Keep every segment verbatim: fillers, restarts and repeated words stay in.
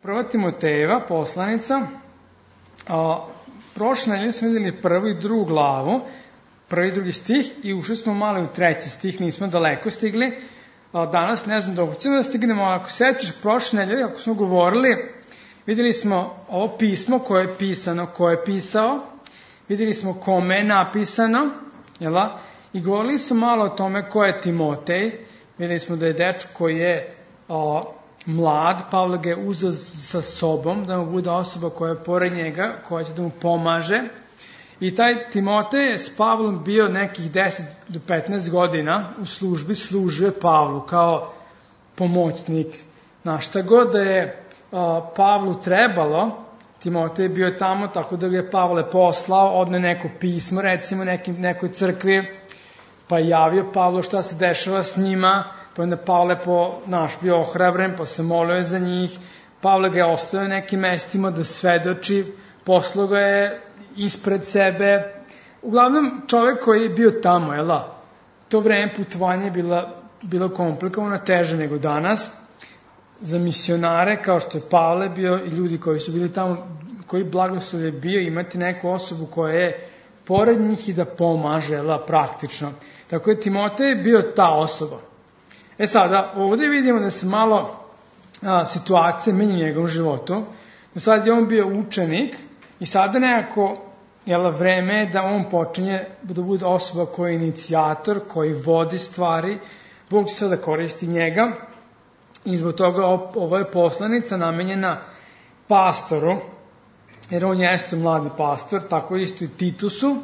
Prva Timotejeva poslanica, a, prošle nedelje smo vidjeli prvu i drugu glavu, prvi i drugi stih i ušli smo malo u treći stih, nismo daleko stigli. A, danas ne znam dok ćemo da stignemo, ako sećaš prošle nedelje, ako smo govorili, vidjeli smo ovo pismo koje je pisano, ko je pisao, vidjeli smo kome je napisano, jela? I govorili smo malo o tome ko je Timotej, vidjeli smo da je dečko koji je a, mlad, Pavle ga je uzeo sa sobom, da mu bude osoba koja je pored njega, koja će da mu pomaže. I taj Timotej je s Pavlom bio nekih deset do petnaest godina u službi, služio je Pavlu kao pomoćnik. Na šta god da je a, Pavlu trebalo, Timotej je bio tamo, tako da ga je Pavle poslao, odne neko pismo, recimo nekim, nekoj crkvi, pa je javio Pavlu šta se dešava s njima, pa onda Pavle po, naš bio ohrabren, pa se molio za njih, Pavle ga je ostavio nekim mestima da svedoči, poslao ga je ispred sebe. Uglavnom, čovjek koji je bio tamo, jel da? To vreme putovanje je bilo, bilo komplikovano, teže nego danas. Za misionare, kao što je Pavle bio i ljudi koji su bili tamo, koji blagoslov je bio imati neku osobu koja je pored njih i da pomaže, jel da, praktično. Tako je Timotej bio ta osoba. E sada, ovdje vidimo da se malo a, situacije menja u njegovom životu. Do sad je on bio učenik i sada nekako, jel, vreme je da on počinje da bude osoba koja je inicijator, koji vodi stvari. Bog će sada koristi njega i zbog toga ovo je poslanica namenjena pastoru, jer on jeste mladi pastor, tako isto i Titusu.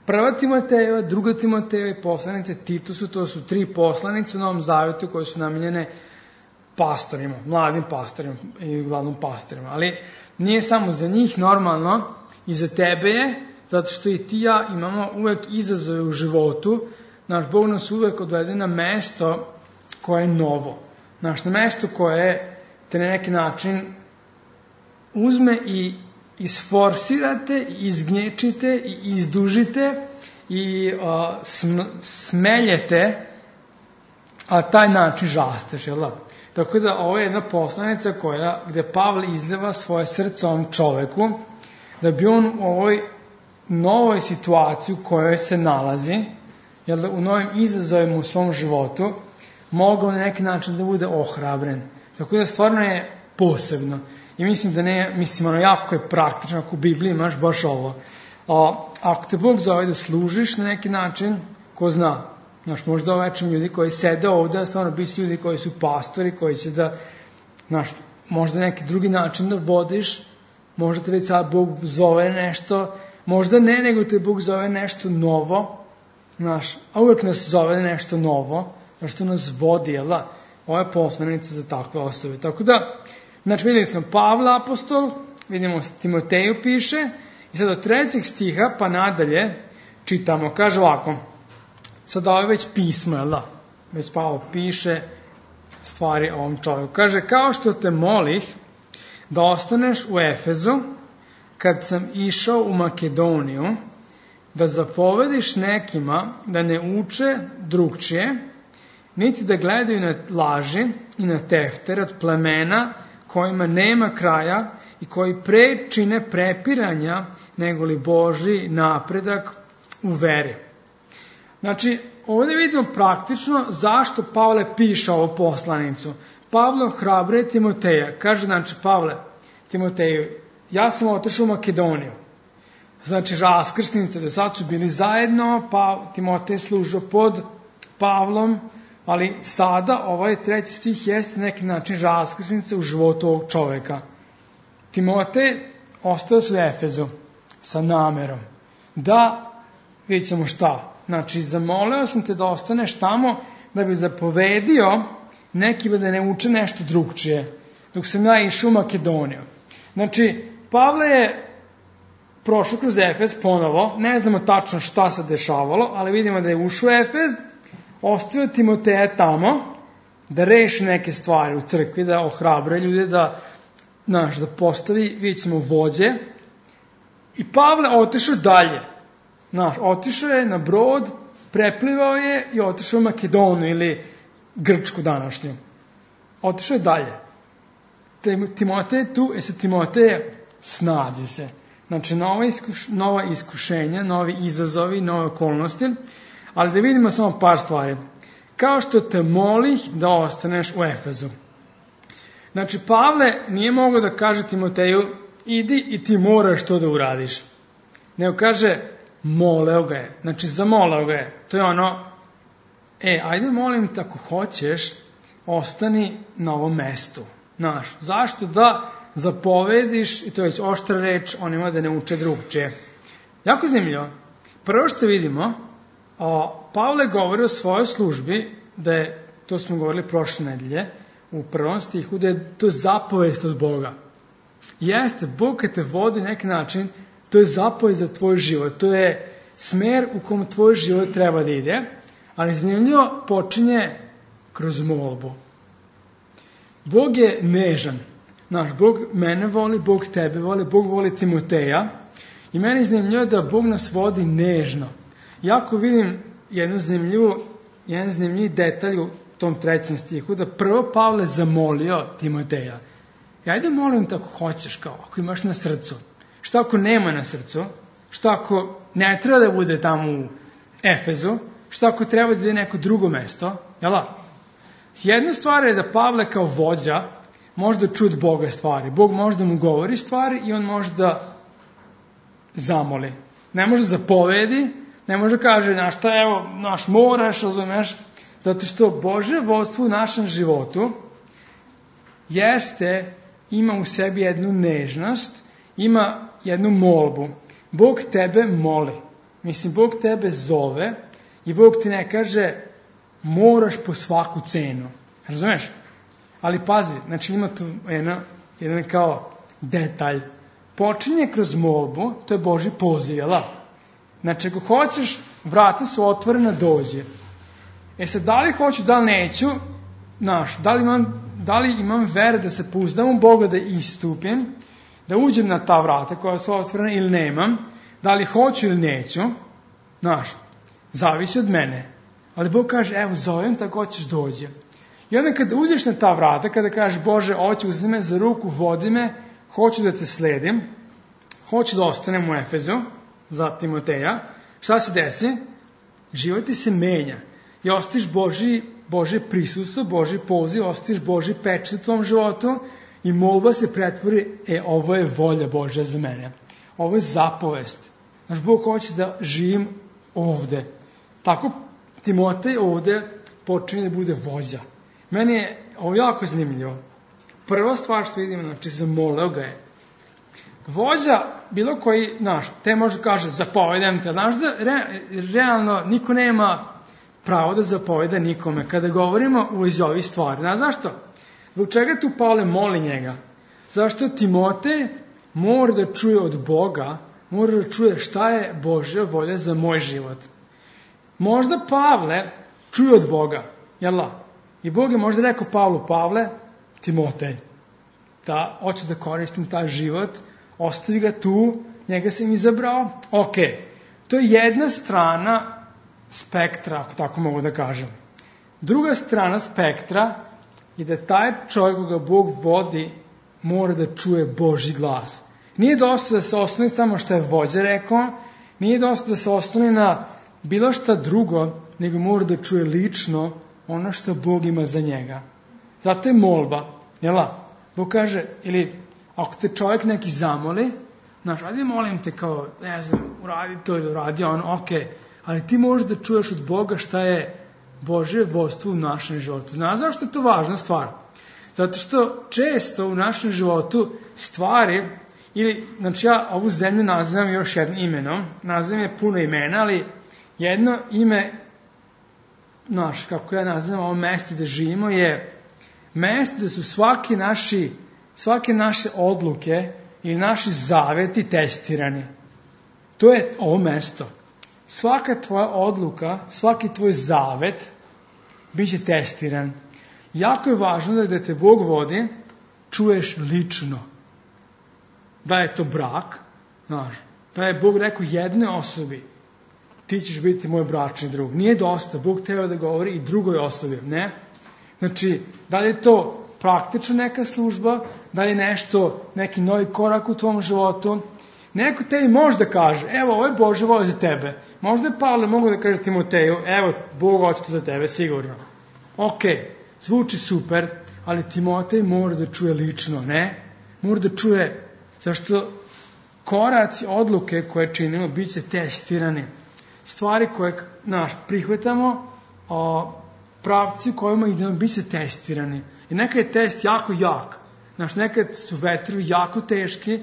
Prva Timotejeva, druga Timotejeva i poslanice Titusu, to su tri poslanice u Novom Zavetu koje su namenjene pastorima, mladim pastorima i uglavnom pastorima. Ali nije samo za njih, normalno i za tebe je, zato što i ti ja imamo uvek izazove u životu. Naš Bog nas uvek odvede na mesto koje je novo. Naš na mesto koje te na neki način uzme i isforsirate, izgnječite i izdužite i uh, sm, smeljete, a taj način žasteš, jel da? Tako da ovo je jedna poslanica koja, gde Pavle izljeva svoje srce ovom čoveku, da bi on u ovoj novoj situaciji u kojoj se nalazi, jel da, u novim izazovima u svom životu, mogao na neki način da bude ohrabren. Tako da stvarno je posebno. I mislim da ne, mislim, ono, jako je praktično, ako u Bibliji imaš baš ovo. A, ako te Bog zove da služiš na neki način, ko zna, znaš, možda ovečem ljudi koji sede ovde, stvarno biti ljudi koji su pastori, koji će da, znaš, možda neki drugi način da vodiš, možda te već sad Bog zove nešto, možda ne, nego te Bog zove nešto novo, znaš, a uvek nas zove nešto novo, znaš, što nas vodi, jel da? Ovo je poslanica za takve osobe. Tako da, znači, vidjeli smo Pavla apostol, vidimo Timoteju piše, i sad od trećeg stiha pa nadalje čitamo, kaže ovako, sad ovo je već pismo, jel da? Već Pavle piše stvari o ovom čovjeku. Kaže, kao što te molih da ostaneš u Efezu, kad sam išao u Makedoniju, da zapovediš nekima da ne uče drugčije, niti da gledaju na laži i na tefter od plemena kojima nema kraja i koji pre čine prepiranja nego li Božji napredak u veri. Znači, ovdje vidimo praktično zašto Pavle piše ovu poslanicu. Pavle ohrabruje Timoteja. Kaže, znači, Pavle, Timoteju, ja sam otišao u Makedoniju. Znači, raskrsnice do sad su bili zajedno, pa Timotej služio pod Pavlom, ali sada ovaj treći stih jeste neki način raskrsnice u životu ovog čoveka. Timotej ostao se u Efezu sa namerom da, vidjet ćemo šta, znači zamolio sam te da ostaneš tamo da bi zapovedio nekima da ne uče nešto drugčije, dok sam ja išao u Makedoniju. Znači, Pavle je prošao kroz Efez ponovo, ne znamo tačno šta se dešavalo, ali vidimo da je ušao u Efez, ostavio Timoteja tamo da reši neke stvari u crkvi, da ohrabre ljude, da, znaš, da postavi, vidjet ćemo, vođe. I Pavle otišao dalje. Znaš, otišao je na brod, preplivao je i otišao u Makedoniju ili Grčku današnju. Otišao je dalje. Timotej je tu, e sad Timoteje, snađi se. Znači, nova, iskuš, nova iskušenja, novi izazovi, nove okolnosti, ali da vidimo samo par stvari. Kao što te molih da ostaneš u Efezu. Znači, Pavle nije mogao da kaže Timoteju, idi i ti moraš to da uradiš. Nego kaže, moleo ga je. Znači, zamoleo ga je. To je ono, e, ajde molim te ako hoćeš, ostani na ovom mestu. Znaš, zašto da zapovediš, i to je već oštra reč, onima da ne uče drugčije. Jako zanimljivo. Prvo što vidimo, o, Pavle govori o svojoj službi, da je, to smo govorili prošle nedelje, u prvom stihu, da je to zapovest od Boga. Jeste, Bog kad te vodi na neki način, to je zapovest za tvoj život, to je smer u kom tvoj život treba da ide, ali zanimljivo počinje kroz molbu. Bog je nežan. Znaš, Bog mene voli, Bog tebe voli, Bog voli Timoteja i meni je zanimljivo da Bog nas vodi nežno. Jako vidim jednu zanimljivu, jedan zanimljiv detalj u tom trećem stihu, da prvo Pavle zamolio Timoteja. I ajde molim te ako hoćeš, kao, ako imaš na srcu. Šta ako nema na srcu? Šta ako ne treba da bude tamo u Efezu? Šta ako treba da ide neko drugo mesto? Jel' jedna stvar je da Pavle kao vođa može da čuje od Boga stvari. Bog može da mu govori stvari i on može da zamoli. Ne može zapovedi, ne može da kaže, znaš šta, evo, naš moraš, razumeš, zato što Božje vodstvo u našem životu jeste, ima u sebi jednu nežnost, ima jednu molbu. Bog tebe moli. Mislim, Bog tebe zove i Bog ti ne kaže, moraš po svaku cenu. Razumeš? Ali pazi, znači ima tu jedna, jedan kao detalj. Počinje kroz molbu, to je Božji poziv, jel' da? Znači, ako hoćeš, vrata su otvorena, dođe. E sad, da li hoću, da li neću, znaš, da li imam, da li imam vere da se pouzdam u Boga, da istupim, da uđem na ta vrata koja su otvorena ili nemam, da li hoću ili neću, znaš, zavisi od mene. Ali Bog kaže, evo, zovem te, ako hoćeš, dođe. I onda kada uđeš na ta vrata, kada kažeš, Bože, hoću, uzmi me za ruku, vodi me, hoću da te sledim, hoću da ostanem u Efezu, za Timoteja, šta se desi? Život ti se menja. I ostiš Božji, Božje prisustvo, Božji poziv, ostiš Božji pečat u tvom životu i molba se pretvori, e, ovo je volja Božja za mene. Ovo je zapovest. Znaš, Bog hoće da živim ovde. Tako Timotej ovde počinje da bude vođa. Meni je ovo jako zanimljivo. Prva stvar što vidimo, znači, zamoleo ga je. Vođa, bilo koji, znaš, te može kaže, zapovedam te, znaš da re, realno niko nema pravo da zapoveda nikome. Kada govorimo u iz ovih stvari, znaš zašto? Zbog čega tu Pavle moli njega? Zašto Timotej mora da čuje od Boga, mora da čuje šta je Božja volja za moj život. Možda Pavle čuje od Boga, jel' la? I Bog je možda rekao Pavlu, Pavle, Timotej, da hoću da koristim taj život, ostavi ga tu, njega sam izabrao, ok. To je jedna strana spektra, ako tako mogu da kažem. Druga strana spektra je da taj čovjek koga Bog vodi mora da čuje Božji glas. Nije dosta da se osnovi samo što je vođa rekao, nije dosta da se osnovi na bilo šta drugo, nego mora da čuje lično ono što Bog ima za njega. Zato je molba, jel' la? Bog kaže, ili ako te čovjek neki zamoli, znaš, ajde molim te kao, ne znam, uradi to ili uradi ono, ok, ali ti možeš da čuješ od Boga šta je Božje vodstvo u našem životu. Znaš zašto je to važna stvar? Zato što često u našem životu stvari, ili, znači ja ovu zemlju nazivam još jednim imenom, nazivam je puno imena, ali jedno ime, znaš, kako ja nazivam ovo mesto gde živimo, je mesto gde su svaki naši, svake naše odluke ili naši zaveti testirani. To je ovo mesto. Svaka tvoja odluka, svaki tvoj zavet biće testiran. Jako je važno da te Bog vodi, čuješ lično. Da je to brak, znaš, da je Bog rekao jednoj osobi, ti ćeš biti moj bračni drug. Nije dosta, Bog treba da govori i drugoj osobi, ne? Znači, da li je to praktična neka služba, da li nešto, neki novi korak u tvom životu. Neko tebi može da kaže, evo, ovo je Božja volja za tebe. Možda je Pavle mogu da kaže Timoteju, evo, Bog hoće to za tebe, sigurno. Ok, zvuči super, ali Timotej mora da čuje lično, ne? Mora da čuje, zašto koraci, odluke koje činimo, bit će testirani. Stvari koje naš, prihvatamo, o, pravci u kojima idemo, bit će testirani. I nekad je test jako jak. Znaš, nekad su vetrovi jako teški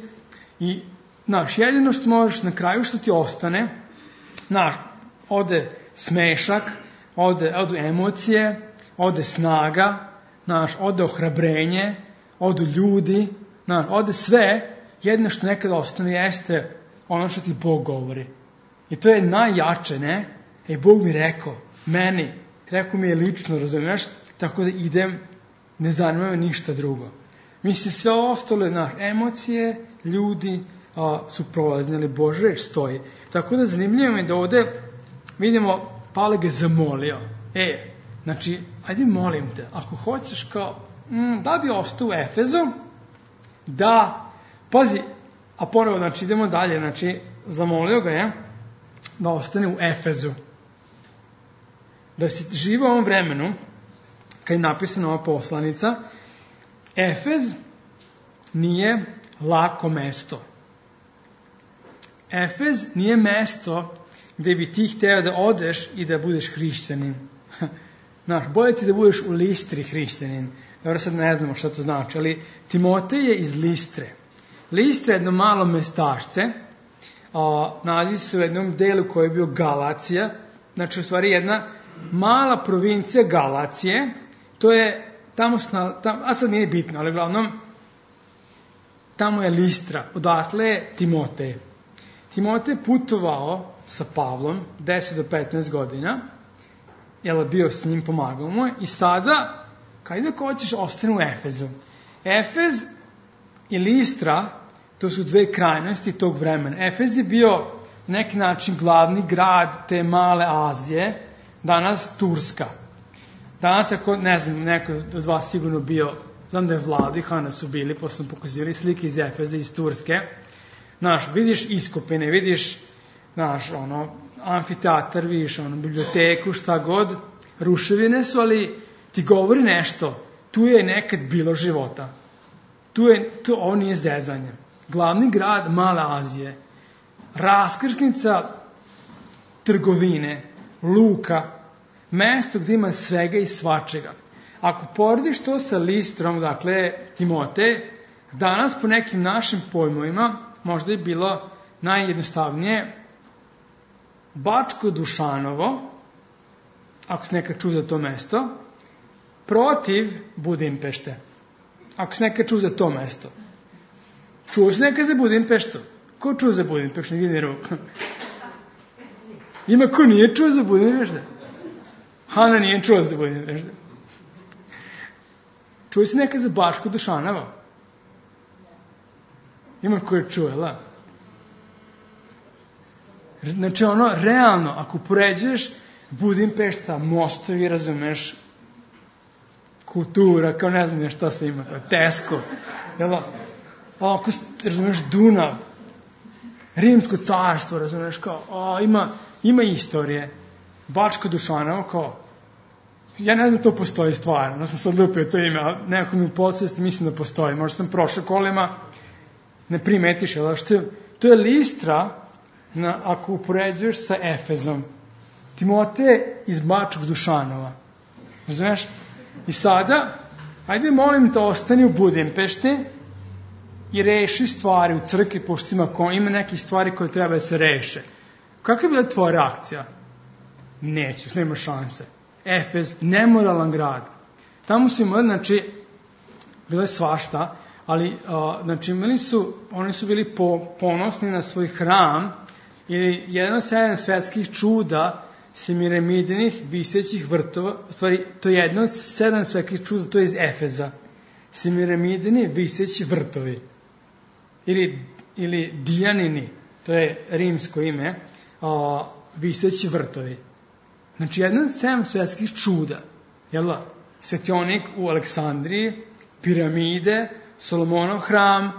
i, znaš, jedino što možeš na kraju što ti ostane, znaš, ode smešak, ode, ode emocije, ode snaga, znaš, ode ohrabrenje, ode ljudi, znaš, ode sve, jedino što nekad ostane jeste ono što ti Bog govori. I to je najjače, ne? E, Bog mi rekao, meni, rekao mi je lično, razumiješ, tako da idem, ne zanima me ništa drugo. Mislim, sve ostale, znaš, emocije, ljudi a, su prolazni, ali Božja reč stoji. Tako da zanimljivo mi da ovde vidimo, Pavle ga zamolio. E, znači, ajde molim te, ako hoćeš kao, mm, da bi ostao u Efezu, da, pazi, a ponovo, znači, idemo dalje, znači, zamolio ga je da ostane u Efezu. Da si živa u ovom vremenu, kad je napisana ova poslanica, Efez nije lako mesto. Efez nije mesto gde bi ti hteo da odeš i da budeš hrišćanin. Znaš, bolje ti da budeš u Listri hrišćanin. Dobro, sad ne znamo šta to znači, ali Timotej je iz Listre. Listra je jedno malo mestašce, a, nalazi se u jednom delu koji je bio Galacija, znači u stvari jedna mala provincija Galacije, to je tamo, tam, a sad nije bitno, ali uglavnom tamo je Listra, odatle je Timotej. Timotej putovao sa Pavlom deset do petnaest godina, jel bio s njim, pomagao mu i sada, kada hoćeš, ostane u Efezu. Efez i Listra, to su dve krajnosti tog vremena. Efez je bio na neki način glavni grad te male Azije, danas Turska. Danas, ako, ne znam, neko od vas sigurno bio, znam da je Vladi, Hana su bili, posle sam pokazivali slike iz Efeza, iz Turske. Znaš, vidiš iskopine, vidiš, znaš, ono, amfiteatar, vidiš, ono, biblioteku, šta god, ruševine su, ali ti govori nešto, tu je nekad bilo života. Tu je, tu, ovo nije zezanje. Glavni grad Male Azije, raskrsnica trgovine, luka, mesto gde ima svega i svačega. Ako porediš to sa Listrom, dakle, Timotej, danas po nekim našim pojmovima možda je bilo najjednostavnije Bačko Dušanovo, ako se nekad čuo za to mesto, protiv Budimpešte. Ako se nekad čuo za to mesto. Čuo se nekad za Budimpeštu? Ko čuo za Budimpeštu? Ne vidi ruku. Ima ko nije čuo za Budimpeštu? Hana nije čuo za Budimpeštu. Čuo se nekad za Bačko Dušanovo? Ima ko je čuo, la? Znači, ono, realno, ako poređuješ Budimpešta, mostovi, razumeš, kultura, kao ne znam šta se ima, Tesco, jel da? Ako, razumeš, Dunav, Rimsko carstvo, razumeš, kao, a, ima, ima istorije. Bačko Dušanovo, kao, ja ne znam to postoji stvarno, ja sam sad lupio to ime, ali nekako mi u podsvesti mislim da postoji. Možda sam prošao kolima, ne primetiš, jel da? Što, to je Listra, na, ako upoređuješ sa Efezom. Timotej iz Bačkog Dušanova. Razumeš? I sada, ajde molim te ostani u Budimpešti i reši stvari u crkvi, pošto ima, ima neke stvari koje treba da se reše. Kakva je bila tvoja reakcija? Neću, nema šanse. Efez, nemoralan grad. Tamo su imali, znači, bilo je svašta, ali, a, znači, imali su, oni su bili po, ponosni na svoj hram, ili jedan od sedam svetskih čuda Semiramidinih visećih vrtova, u stvari, to je jedno od sedam svetskih čuda, to je iz Efeza. Semiramidini viseći vrtovi. Ili, ili Dijanini, to je rimsko ime, a, viseći vrtovi. Znači, jedno od sedam svetskih čuda, jel da? Svetionik u Aleksandriji piramide, Solomonov hram,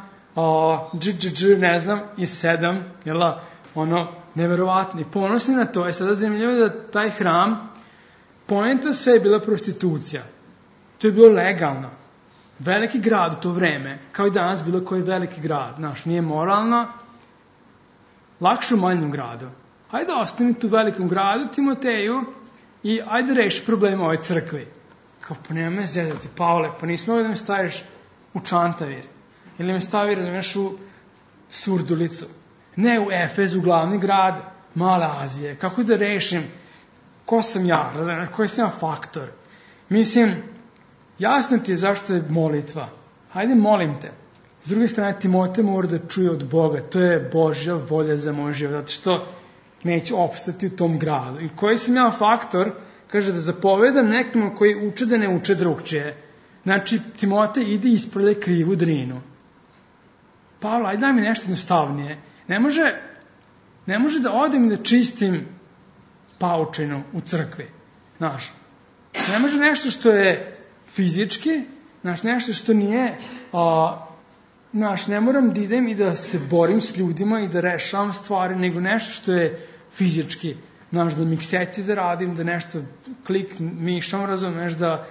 dž, dž, dž, ne znam, i sedam, jel, ono, neverovatni, ponosni na to. Je sada zanimljivo da taj hram, poenta sve je bila prostitucija. To je bilo legalno. Veliki grad u to vreme, kao i danas bilo koji veliki grad, znaš, nije moralno, lakše u manjem gradu. Hajde ostani tu u velikom gradu, Timoteju, i ajde reši problema ove crkve. Kao, pa nema me zezati, Pavle, pa nismo ovdje da me staviš u Čantavir. Ili me stavi, razumiješ, u Surdulicu. Ne u Efez, u glavni grad Male Azije. Kako da rešim? Ko sam ja? Razumiješ, koji sam ja faktor? Mislim, jasno ti je zašto je molitva. Hajde, molim te. S druge strane, Timote mora da čuje od Boga. To je Božja volja za moj život. Zato što neće opstati u tom gradu. I koji sam ja faktor? Kaže da zapovedam nekom koji uče da ne uče drugčije. Znači, Timote ide ispravlja krivu drinu. Pavle, ajde daj mi nešto jednostavnije. Ne može, ne može da odem i da čistim paučinu u crkvi. Znaš, ne može nešto što je fizički, znaš, nešto što nije, a, znaš, ne moram da idem i da se borim s ljudima i da rešavam stvari, nego nešto što je fizički. Znaš, da mikseti da radim, da nešto klik mišom, razumeš, da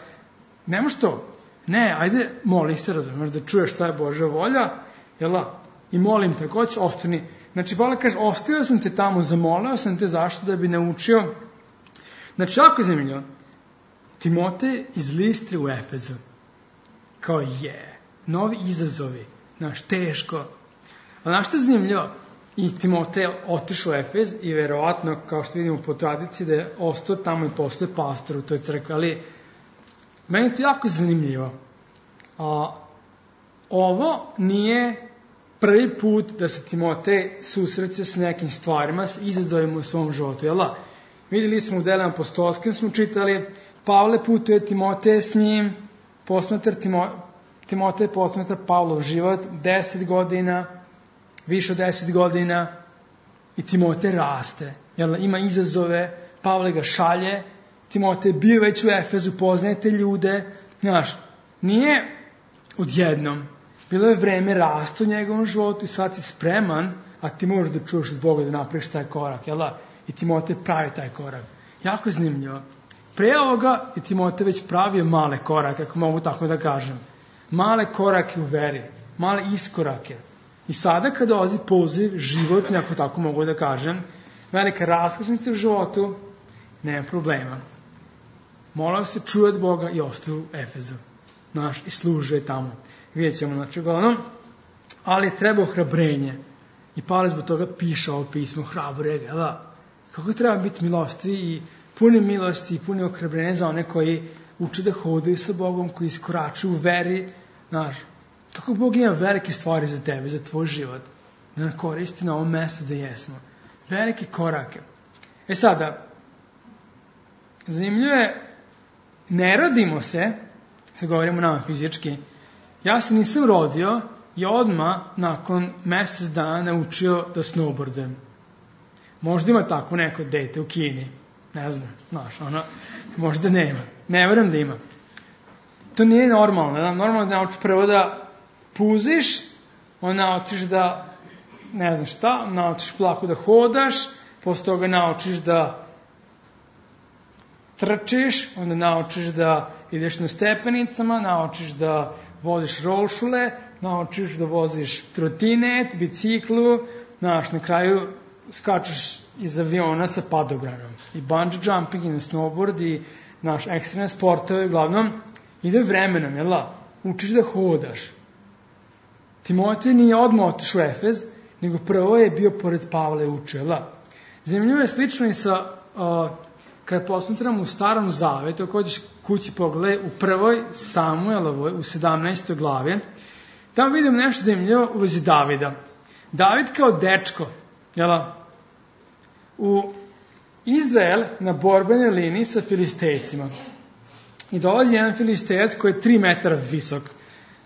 ne može to. Ne, ajde, moli se, razumeš, da čuješ šta je Božja volja, jela, i molim te, ko će, ostani. Znači, Pavle kaže, ostavio sam te tamo, zamolio sam te zašto da bi naučio. Znači, jako zanimljivo, Timotej iz Listre u Efezu, kao je, novi izazovi, znaš, teško. Ali znaš što je zanimljivo? I Timotej otišao u Efez i verovatno, kao što vidimo po tradiciji, da je ostao tamo i posle pastor u toj crkvi. Ali meni je to jako zanimljivo. A, ovo nije prvi put da se Timotej susreće s nekim stvarima, s izazovima u svom životu. Jel da? Vidjeli smo u Delima apostolskim, smo čitali, Pavle putuje Timoteje s njim, posmatra Timo, Timotej posmatra Pavlov život, deset godina, više od deset godina, i Timotej raste. Jel, ima izazove, Pavle ga šalje, Timotej bio već u Efezu, poznaje te ljude. Znaš, nije odjednom. Bilo je vreme rasta u njegovom životu i sad si spreman, a ti možeš da čuješ od Boga da napraviš taj korak. Jel da? I Timotej pravi taj korak. Jako zanimljivo. Pre ovoga je Timotej već pravio male korake, ako mogu tako da kažem. Male korake u veri, male iskorake. I sada kada dolazi poziv životni, ako tako mogu da kažem, velika raskrsnica u životu, nema problema. Molao se, čuje od Boga i ostaje u Efezu. Znaš, i služe tamo. Vidjet ćemo, znači, uglavnom, ali treba ohrabrenje. I Pavle zbog toga piše ovo pismo, hrabre ga, da? Kako treba biti milosti i puni milosti i puni ohrabrenja za one koji uče da hodaju sa Bogom, koji iskoračuju u veri, znaš, kako Bog ima velike stvari za tebe, za tvoj život, da nam koristi na ovom mestu da jesmo. Velike korake. E sada, zanimljivo je, ne rodimo se, sad govorimo nama fizički, ja se nisam rodio i odmah nakon mjesec dana naučio da snowboardujem. Možda ima tako neko dete u Kini, ne znam, znaš, ono, možda nema, ne vjerujem da ima. To nije normalno, da? Normalno da naučiš prvo da puziš, onda naučiš da, ne znam šta, naučiš plako da hodaš, posle toga naučiš da trčiš, onda naučiš da ideš na stepenicama, naučiš da voziš rolšule, naučiš da voziš trotinet, biciklu, znaš, na kraju skačeš iz aviona sa padobranom. I bungee jumping, i na snowboard, i naš ekstremne sportove, uglavnom, ide vremenom, jel da? Učiš da hodaš. Timotej nije odmah otišao u Efez, nego prvo je bio pored Pavle učio, jel da? Zanimljivo je slično i sa, uh, kada posmatramo u Starom Zavetu, ako hoćeš kući pogledaj, u prvoj Samuelovoj, u sedamnaestoj glavi, tamo vidimo nešto zanimljivo u vezi Davida. David kao dečko, jel da? U Izrael na borbenoj liniji sa Filistejcima. I dolazi jedan Filistejac koji je tri metara visok.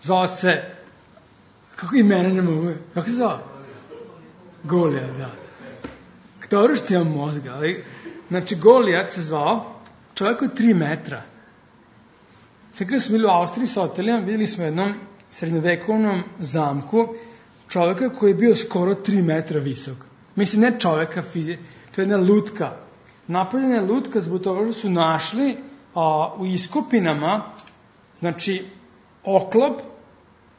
Zvao se, kako imena ne mogu, kako se zvao? Golijat, da. Dobro što imam mozga, ali, znači Golijat se zvao, čovjek od tri metra. Sad kada smo bili u Austriji sa hotelima, vidjeli smo jednom srednjovekovnom zamku čovjeka koji je bio skoro tri metra visok. Mislim, ne čovjeka, fizi... to je jedna lutka. Napravljena je lutka zbog toga što su našli a, u iskopinama, znači, oklop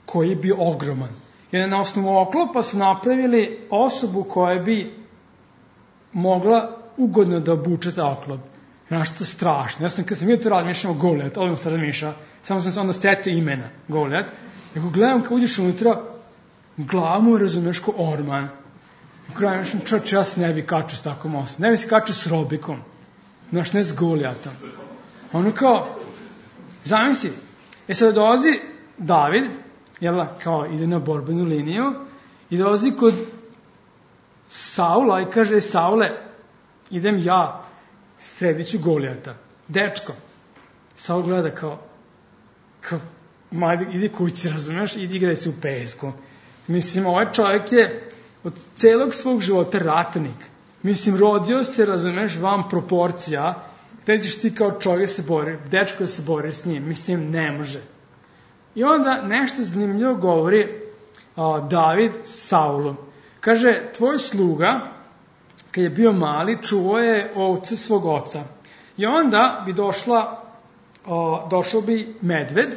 koji je bio ogroman. Jer na osnovu oklopa su napravili osobu koja bi mogla ugodno da obuče ta oklop. Znaš, to je strašno. Ja sam, kad sam vidio to razmišljamo Golijat, odmah sam razmišljao, samo sam se onda setio imena Golijat. Nego gledam kad uđeš unutra, glavu razumeš ko orman. U kraju mislim, čoč, ja se ne bi kačio s takvom osobom. Ne bi se kačio s Robikom. Znaš, ne s Golijatom. Ono kao, zamisli, e sad dolazi David, jel, kao ide na borbenu liniju, i dolazi kod Saula i kaže, Saule, idem ja, sredit ću Golijata. Dečko. Saul gleda kao, kao, majde, idi kući, razumeš, idi igraj se u pesku. Mislim, ovaj čovjek je od celog svog života ratnik. Mislim, rodio se, razumeš, vam proporcija, gde ćeš ti kao čovjek se bori, dečko da se bori s njim. Mislim, ne može. I onda nešto zanimljivo govori a, David Saulu. Kaže, tvoj sluga, kad je bio mali, čuvao je ovce svog oca. I onda bi došla, a, došao bi medved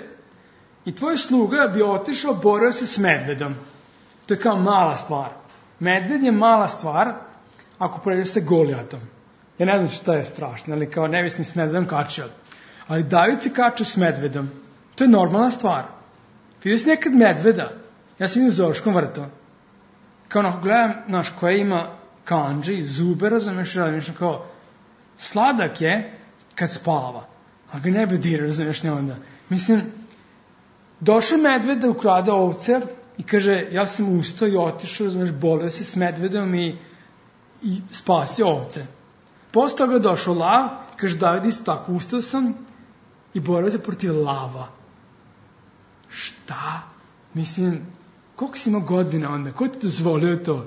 i tvoj sluga bi otišao, borio se s medvedom. To je kao mala stvar. Medved je mala stvar ako porediš sa Golijatom. Ja ne znam šta je strašno, ali kao nevisni s medvedom kačio. Ali David se kačio s medvedom. To je normalna stvar. Vidio si nekad medveda? Ja sam vidio u zoološkom vrtu. Kao ono, gledam, znaš, koja ima kanđe i zube, razumiješ, razumiješ, kao, sladak je kad spava. A ga ne bi dira, razumiješ, ne onda. Mislim, došao medved da ukrade ovce i kaže, ja sam ustao i otišao, razumiješ, bolio se s medvedom i, i spasio ovce. Posle toga došao lav, kaže, David, isto tako, ustao sam i borio se protiv lava. Šta? Mislim, koliko si imao godina onda? Ko ti dozvolio to?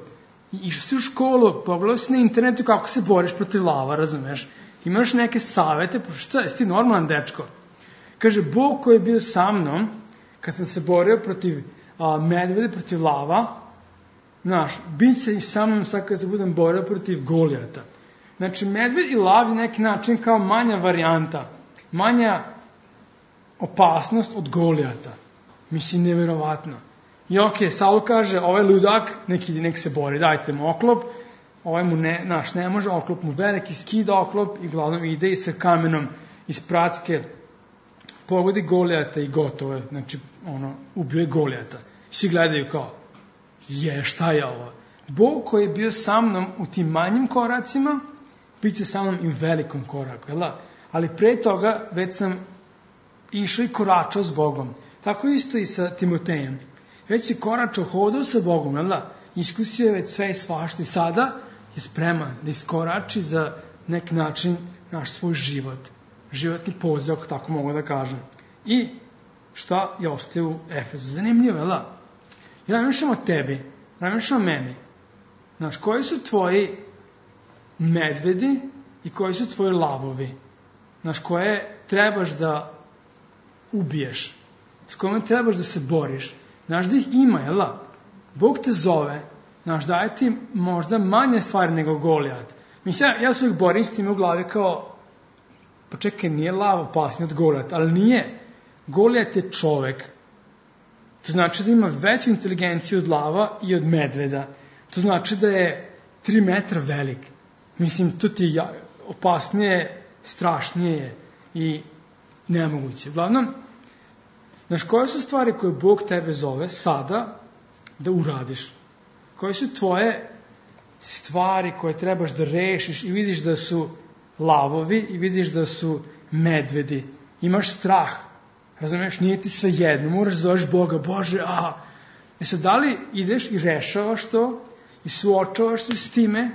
I išao si u školu, pogledao si na internetu kako se boriš protiv lava, razumeš? Imaš neke savete, pa šta, jesi ti normalan dečko? Kaže, Bog koji je bio sa mnom, kad sam se borio protiv a, medvede, protiv lava, znaš, bit će i sa mnom sad kad se budem borio protiv Golijata. Znači, medved i lav je neki način kao manja varijanta, manja opasnost od Golijata. Mislim, nevjerovatno. I okej, okay, Saul kaže, ovaj ludak, nek ide, nek se bori, dajte mu oklop, ovaj mu ne, naš ne može, oklop mu veliki, skida oklop i glavnom ide i sa kamenom iz pracke pogodi Golijata i gotovo je, znači, ono, ubio je Golijata. Svi gledaju kao, je, šta je ovo? Bog koji je bio sa mnom u tim manjim koracima, bit će sa mnom i u velikom koraku, jel da? Ali pre toga već sam išao i koračao s Bogom. Tako isto i sa Timotejem. Već si koračao, hodao sa Bogom, jel da? Iskusio je već sve i svašta i sada je spreman da iskorači za neki način naš svoj život. Životni poziv, ako tako mogu da kažem. I šta je ostaje u Efezu? Zanimljivo, jel da? Ja namišljam o tebi, namišljam o meni. Znaš, koji su tvoji medvedi i koji su tvoji lavovi? Znaš, koje trebaš da ubiješ? S kojima trebaš da se boriš? Znaš da ih ima, jel da? Bog te zove, znaš, daje ti možda manje stvari nego Golijat. Mislim, ja, ja se uvijek borim s tim u glavi kao, pa čekaj, nije lav opasniji od Golijata, ali nije. Golijat je čovek. To znači da ima veću inteligenciju od lava i od medveda. To znači da je tri metra velik. Mislim, to ti je opasnije, strašnije i nemoguće. Uglavnom, znaš, koje su stvari koje Bog tebe zove sada da uradiš? Koje su tvoje stvari koje trebaš da rešiš i vidiš da su lavovi i vidiš da su medvedi? Imaš strah. Razumiješ, nije ti sve jedno. Moraš da zoveš Boga, Bože, a... E sad, da li ideš i rešavaš to i suočavaš se s time,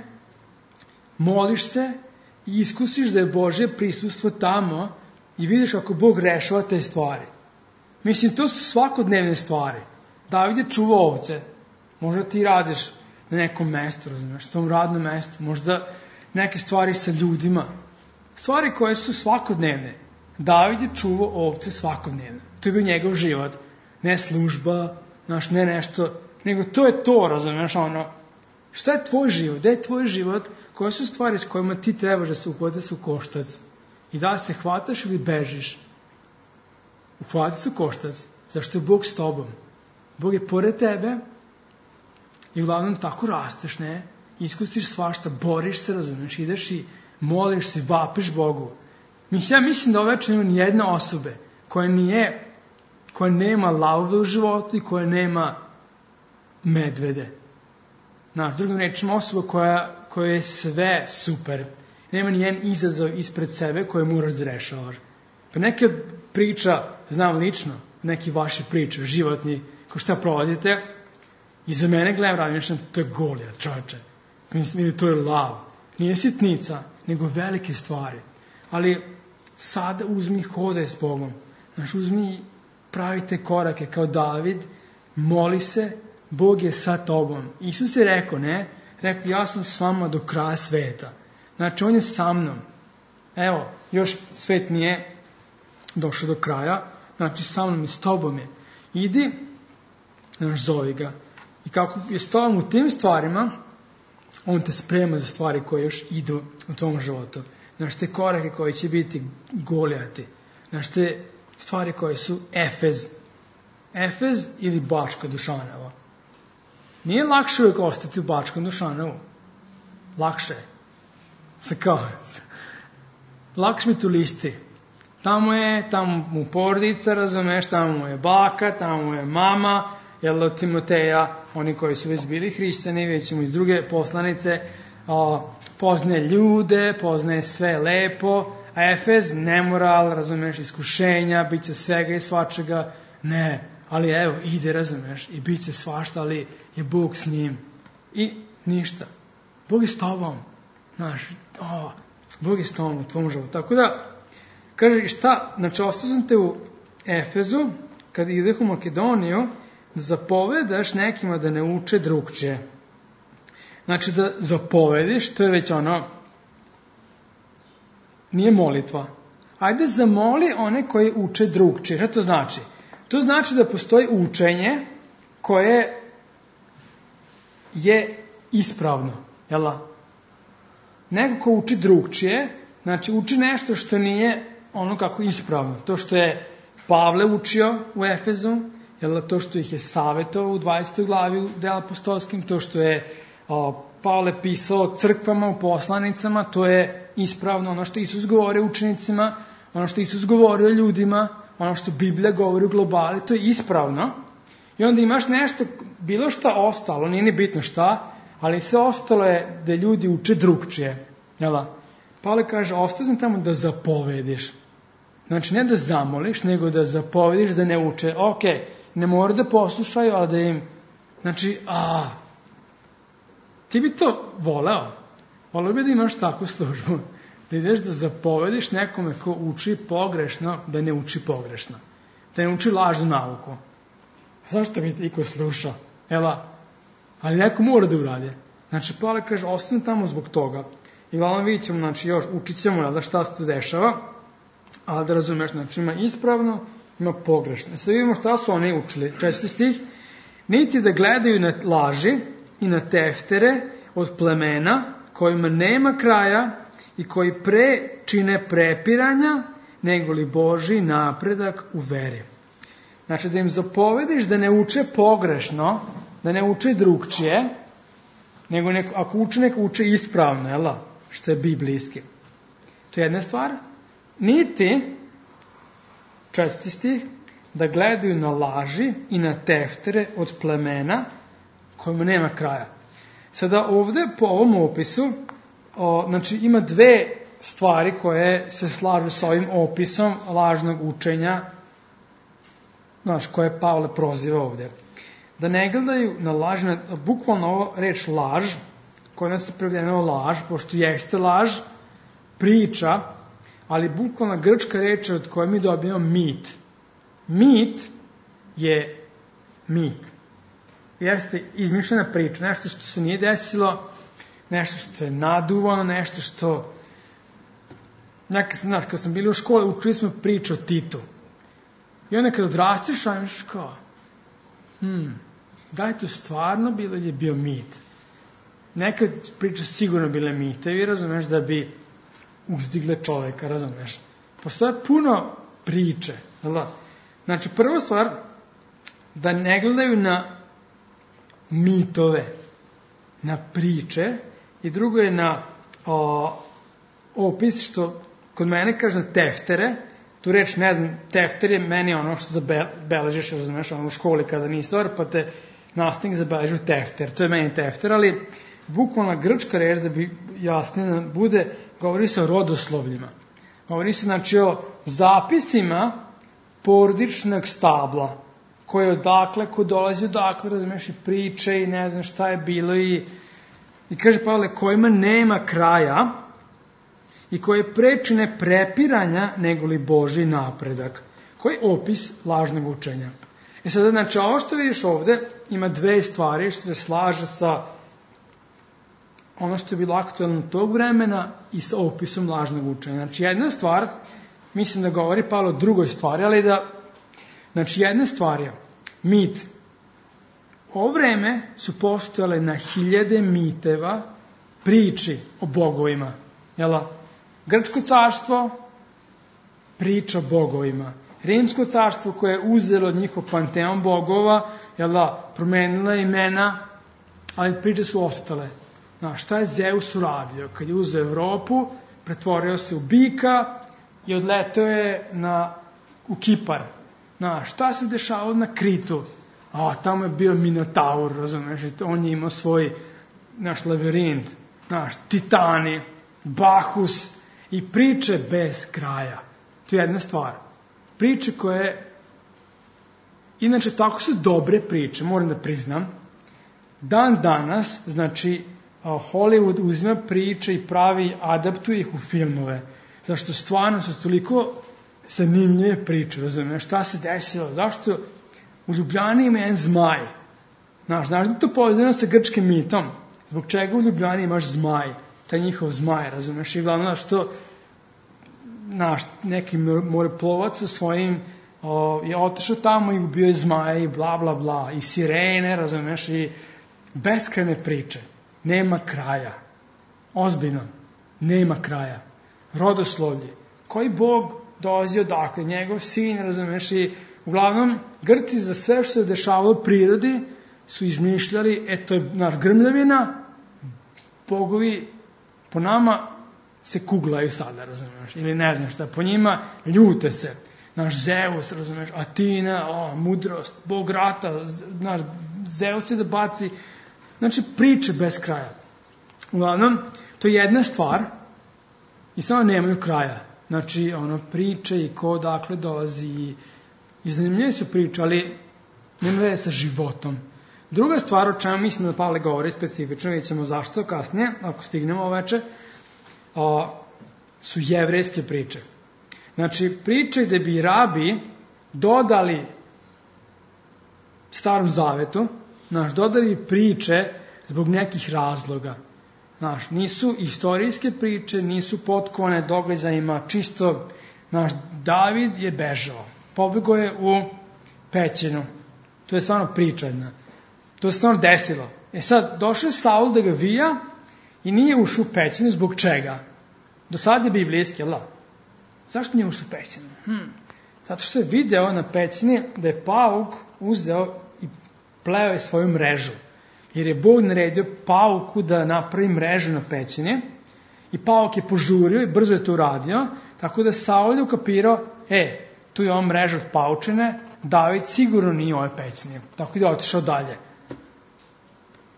moliš se i iskusiš da je Božje prisustvo tamo i vidiš ako Bog rešava te stvari? Mislim, to su svakodnevne stvari. David je čuvao ovce. Možda ti radiš na nekom mestu, razumiješ, svom radnom mestu. Možda neke stvari sa ljudima. Stvari koje su svakodnevne. David je čuvao ovce svakodnevno. To je bio njegov život. Ne služba, znaš, ne nešto, nego to je to, razumiješ, ono, šta je tvoj život, gde je tvoj život, koje su stvari s kojima ti trebaš da se uhvataš u koštac i da li se hvataš ili bežiš. Uhvati se u koštac, zašto je Bog s tobom. Bog je pored tebe i uglavnom tako rasteš, ne, iskusiš svašta, boriš se, razumiješ, ideš i moliš se, vapiš Bogu. Ja mislim da ove nema ni jedna osobe koja nije, koja nema lavove u životu i koja nema medvede. Znaš, drugim rečima, osoba koja, koja je sve super. Nema ni jedan izazov ispred sebe koje moraš da rešavaš. Pa neke priča, znam lično, neki vaši priče, životni, ko šta prolazite, i za mene gledam radim, to je Golijat, čovječe. Mislim, to je lav. Nije sitnica, nego velike stvari. Ali sada uzmi hodaj s Bogom. Znaš, uzmi, pravite korake kao David, moli se, Bog je sa tobom. Isus je rekao, ne? Rekao, ja sam s vama do kraja sveta. Znači, on je sa mnom. Evo, još svet nije došao do kraja. Znači, sa mnom i s tobom je. Idi, znaš, zovi ga. I kako je s tobom u tim stvarima, on te sprema za stvari koje još idu u tom životu. Znaš, te korake koje će biti Golijati. Znaš, te stvari koje su Efez. Efez ili Bačka Dušanova. Nije lakše uvijek ostati u Bačkom Dušanovu. Lakše je. Sa kao. Lakše mi tu listi. Tamo je, tamo mu porodica, razumeš, tamo mu je baka, tamo mu je mama, jel od Timoteja, oni koji su već bili hrišćani, već mu iz druge poslanice, a, poznaje ljude, poznaje sve lepo, a Efez, nemoral, razumeš, iskušenja, bit će svega i svačega, ne, ali evo, ide, razumeš, i bit će svašta, ali je Bog s njim. I ništa. Bog je s tobom. Znaš, o, Bog je s tobom u tvom životu. Tako da, kaže, šta, znači, ostao sam te u Efezu, kad ideš u Makedoniju, da zapovedaš nekima da ne uče drugčije. Znači, da zapovediš, to je već ono, nije molitva. Ajde, zamoli one koji uče drugčije. Šta to znači? To znači da postoji učenje koje je ispravno. Jel? Neko ko uči drugčije, znači uči nešto što nije ono kako ispravno. To što je Pavle učio u Efezu, jel, to što ih je savjetovao u dvadesetoj glavi u Dela apostolskim, to što je o, Pavle pisao crkvama u poslanicama, to je ispravno. Ono što Isus govori učenicima, ono što Isus govori o ljudima, ono što Biblija govori u globali, to je ispravno. I onda imaš nešto, bilo šta ostalo, nije ni bitno šta, ali sve ostalo je da ljudi uče drugčije. Jel? Pavle kaže, ostao sam tamo da zapovediš. Znači, ne da zamoliš, nego da zapovediš da ne uče. Ok, ne mora da poslušaju, ali da im... Znači, a... Ti bi to voleo. Voleo bi da imaš takvu službu. Da ideš da zapovediš nekome ko uči pogrešno, da ne uči pogrešno. Da ne uči lažnu nauku. Zašto bi iko slušao? Ela, ali neko mora da uradi. Znači, Pavle kaže, ostanem tamo zbog toga. I glavno vidit ćemo, znači, još učit ćemo, jel da, šta se tu dešava, ali da razumeš, znači, ima ispravno, ima pogrešno. Sad vidimo šta su oni učili. Četvrti stih. Niti da gledaju na laži i na teftere od plemena kojima nema kraja i koji pre čine prepiranja nego li Božji napredak u veri. Znači, da im zapovediš da ne uče pogrešno, da ne uče drugčije, nego neko, ako uče, neko uče ispravno, jel, što je biblijski. To je jedna stvar. Niti, četvrti stih, da gledaju na laži i na teftere od plemena kojima nema kraja. Sada ovde po ovom opisu, o, znači ima dve stvari koje se slažu sa ovim opisom lažnog učenja, znaš, koje Pavle proziva ovde. Da ne gledaju na laž, na, bukvalno ovo reč laž, koja nas se prevedeno laž, pošto jeste laž, priča, ali bukvalna grčka reč od koje mi dobijemo mit. Mit je mit. Jeste izmišljena priča, nešto što se nije desilo, nešto što je naduvano, nešto što Nekad sam, znaš, kad sam bili u školi, učili smo priču o Titu. I onda kad odrastiš, ajmeš kao, hmm, da je to stvarno bilo ili je bio mit? Nekad priča sigurno bile mitevi, razumeš, da bi uzdigle čoveka, razumeš. Postoje puno priče, da? Znači, prva stvar, da ne gledaju na mitove, na priče, i drugo je na o, opis, što kod mene kaže na teftere, tu reč, ne znam, tefter je meni ono što zabeležiš, razumeš, ono u školi kada nisi dobar, pa te nastavnik zabeleži u tefter, to je meni tefter, ali bukvalna grčka reč, da bi jasnije bude, govori se o rodoslovljima. Govori se, znači, o zapisima porodičnog stabla, koje odakle, ko dolazi odakle, razumeš, i priče i ne znam šta je bilo i, i kaže Pavle, kojima nema kraja i koje prečine prepiranja nego li Božji napredak, koji je opis lažnog učenja. E sada, znači, ovo što vidiš ovde ima dve stvari što se slaže sa ono što je bilo aktualno tog vremena i sa opisom lažnog učenja. Znači, jedna stvar, mislim da govori Pavle o drugoj stvari, ali da, znači, jedna stvar je mit. U ovo vreme su postojale na hiljade miteva, priči o bogovima. Jela? Grčko carstvo, priča o bogovima. Rimsko carstvo koje je uzelo njihov panteon bogova, jela, promenila imena, ali priče su ostale. Znaš, šta je Zeus uradio? Kad je uzeo Evropu, pretvorio se u bika i odletao je na, u Kipar. Znaš, šta se dešavalo na Kritu? A, tamo je bio Minotaur, razumeš, on je imao svoj, naš, lavirint, znaš, Titani, Bahus i priče bez kraja. To je jedna stvar. Priče koje, inače, tako su dobre priče, moram da priznam. Dan danas, znači, Hollywood uzima priče i pravi, adaptuje ih u filmove. Zašto stvarno su toliko zanimljive priče, razumiješ, šta se desilo, zašto u Ljubljani ima jedan zmaj. Znaš, znaš da to povezano sa grčkim mitom? Zbog čega u Ljubljani imaš zmaj? Taj njihov zmaj, razumiješ, i glavno što znaš, neki moreplovac sa svojim o, je otišao tamo i ubio je zmaja i bla bla bla, i sirene, razumiješ, i beskrajne priče. Nema kraja. Ozbiljno. Nema kraja. Rodoslovlje. Koji Bog dolazi odakle? Njegov sin, razumeš, i uglavnom Grci za sve što se dešavalo u prirodi su izmišljali, eto je naš grmljavina, bogovi po nama se kuglaju sada, razumeš, ili ne znam šta, po njima ljute se. Naš Zeus, razumeš, Atina, o, mudrost, Bog rata, naš Zeus je da baci. Znači, priče bez kraja. Uglavnom, to je jedna stvar i samo nemaju kraja. Znači, ono, priče i ko odakle dolazi i, i zanimljive su priče, ali nema veze sa životom. Druga stvar o čemu mislim da Pavle govori specifično, vidjet ćemo zašto kasnije, ako stignemo oveče, o, su jevrejske priče. Znači, priče gde bi rabi dodali Starom Zavetu, znaš, dodali priče zbog nekih razloga. Znaš, nisu istorijske priče, nisu potkovane događajima, čisto, znaš, David je bežao, pobegao je u pećinu. To je stvarno priča jedna. To se stvarno desilo. E sad, došao je Saul da ga vija i nije ušao u pećinu, zbog čega? Do sad je biblijski, jel da? Zašto nije ušao u pećinu? Hm. Zato što je video na pećini da je pauk uzeo i pleo je svoju mrežu. Jer je Bog naredio pauku da napravi mrežu na pećini i pauk je požurio i brzo je to uradio, tako da Saul je ukapirao, e, tu je ova mreža od paučine, David sigurno nije u ovoj pećini. Tako da je otišao dalje.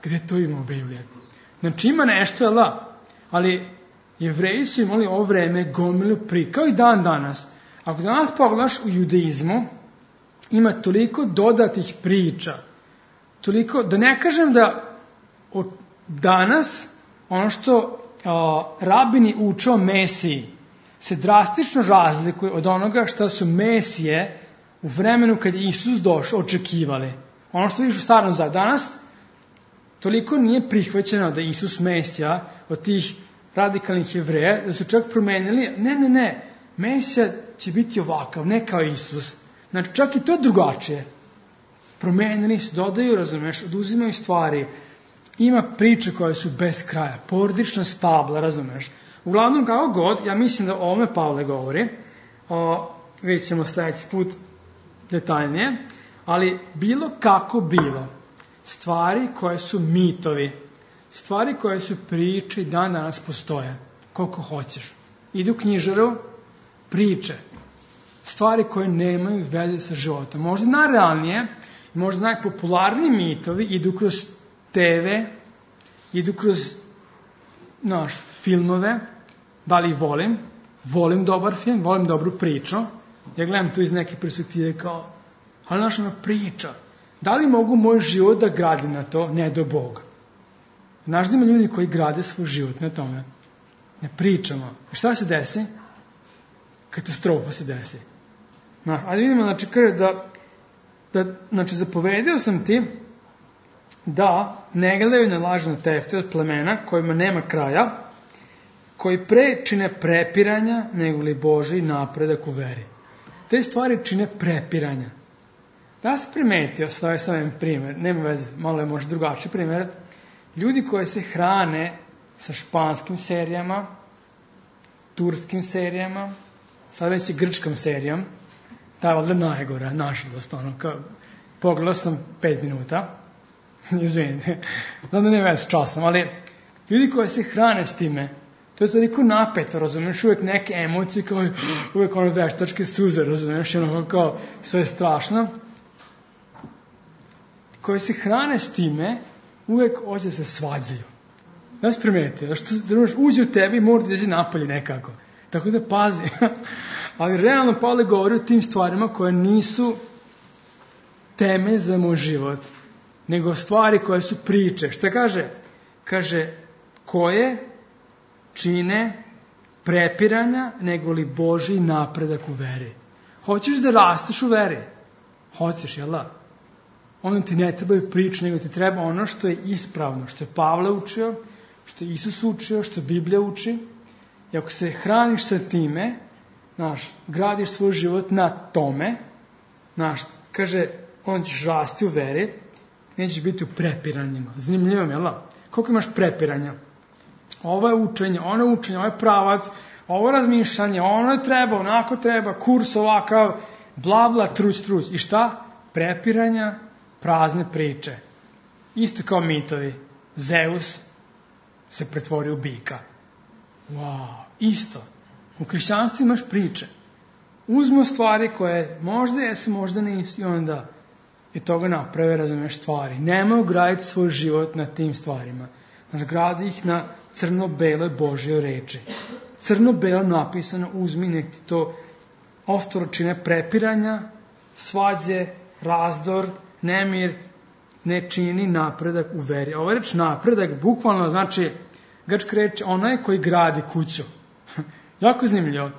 Gde to ima u Bibliji? Znači ima nešto, jel da? Ali Jevreji su imali ovo vreme gomilu pri, kao i dan danas. Ako danas pogledaš u judaizmu, ima toliko dodatih priča, toliko, da ne kažem da od danas ono što a, rabini uče o Mesiji se drastično razlikuje od onoga što su Mesije u vremenu kad je Isus došao očekivali. Ono što vidiš u Starom Zavetu danas, toliko nije prihvaćeno da Isus Mesija od tih radikalnih Jevreja, da su čak promenili, ne, ne, ne, Mesija će biti ovakav, ne kao Isus. Znači, čak i to drugačije. Promenili se, dodaju, razumeš, oduzimaju stvari. Ima priče koje su bez kraja, porodična stabla, razumeš. Uglavnom, kako god, ja mislim da o ovome Pavle govori, o, vidjet ćemo sljedeći put detaljnije, ali bilo kako bilo, stvari koje su mitovi, stvari koje su priče i dan danas postoje, koliko hoćeš. Idu u knjižaru, priče, stvari koje nemaju veze sa životom. Možda najrealnije, možda najpopularniji mitovi idu kroz te ve, idu kroz naš, filmove, da li volim, volim dobar film, volim dobru priču, ja gledam tu iz neke perspektive kao, ali naša ona priča, da li mogu moj život da gradim na to, ne do Boga. Znaš da ima ljudi koji grade svoj život na tome, ne pričamo. I šta se desi? Katastrofa se desi. Znaš, ali vidimo, znači, kaže da, da, znači, zapovedio sam ti da ne gledaju na lažne tefte od plemena kojima nema kraja, koji pre čine prepiranja nego li Božji napredak u veri. Te stvari čine prepiranja. Da se primetio, stavio sam jedan primjer, nema veze, malo je možda drugačiji primjer, ljudi koji se hrane sa španskim serijama, turskim serijama, sad već i grčkom serijom, ta je ovdje najgora, nažalost, ono, kao, pogledao sam pet minuta, izvinite, znam da nema veze s časom, ali ljudi koji se hrane s time, to je toliko napeto, razumiješ, uvijek neke emocije, kao uvijek ono veštačke suze, razumiješ, ono kao sve je strašno. Koji se hrane s time, uvijek hoće se svađaju. Da se primetio, što uđe u tebi i mora da izađe napolje nekako. Tako da pazi. Ali realno Pavle govori o tim stvarima koje nisu temelj za moj život, nego stvari koje su priče. Šta kaže? Kaže, koje čine prepiranja nego li Božji napredak u veri. Hoćeš da rasteš u veri? Hoćeš, jel da? Ono ti ne trebaju priče, nego ti treba ono što je ispravno, što je Pavle učio, što je Isus učio, što Biblija uči. I ako se hraniš sa time, znaš, gradiš svoj život na tome, znaš, kaže, on ćeš rasti u veri, nećeš biti u prepiranjima. Zanimljivo mi, jel da? Koliko imaš prepiranja? Ovo je učenje, ono je učenje, ovo je pravac, ovo je razmišljanje, ono je treba, onako treba, kurs ovakav, bla bla, truć, truć. I šta? Prepiranja, prazne priče. Isto kao mitovi. Zeus se pretvorio u bika. Wow, isto. U hrišćanstvu imaš priče. Uzmo stvari koje možda jesu, možda nisu i onda i toga naprave, razumeš, stvari. Nemoj graditi svoj život na tim stvarima. Znači, gradi ih na crno-bele Božje reči. Crno-belo napisano, uzmi, nek ti to ostalo čine prepiranja, svađe, razdor, nemir, ne čini napredak u veri. Ovo reč napredak bukvalno znači, grčka reč, onaj koji gradi kuću. Jako zanimljivo.